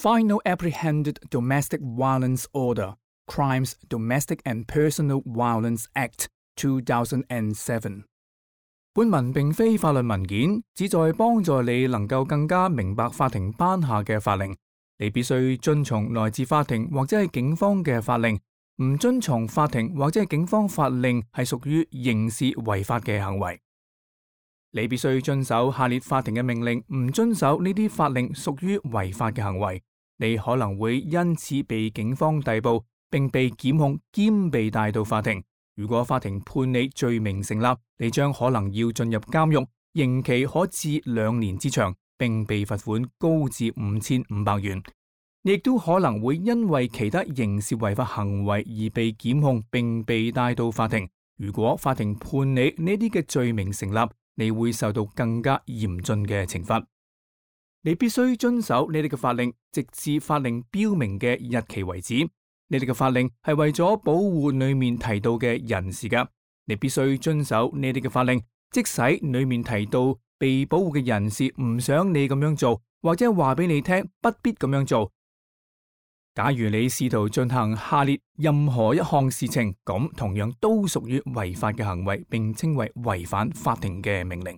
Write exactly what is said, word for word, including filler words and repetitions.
Final Apprehended Domestic Violence Order, Crimes, Domestic and Personal Violence Act two thousand seven。 本文並非法律文件，旨在幫助你能夠更加明白法庭頒下嘅法令。你必須遵從來自法庭或者係警方嘅法令。唔遵從法庭或者係警方法令係屬於刑事違法嘅行為。你必須遵守下列法庭嘅命令，唔遵守呢啲法令屬於違法嘅行為。你可能會因此被警方逮捕，並被檢控兼被帶到法庭。如果法庭判你罪名成立，你將可能要進入監獄，刑期可至兩年之長，並被罰款高至五千五百元。你亦都可能會因為其他刑事違法行為而被檢控並被帶到法庭。如果法庭判你呢啲嘅罪名成立，你會受到更加嚴峻嘅懲罰。你必須遵守呢啲嘅法令，直至法令標明嘅日期為止。呢啲嘅法令係為咗保護裏面提到嘅人士噶。你必須遵守呢啲嘅法令，即使裏面提到被保護嘅人士唔想你咁樣做，或者話俾你聽不必咁樣做。假如你試圖進行下列任何一項事情，咁同樣都屬於違法嘅行為，並稱為違反法庭嘅命令。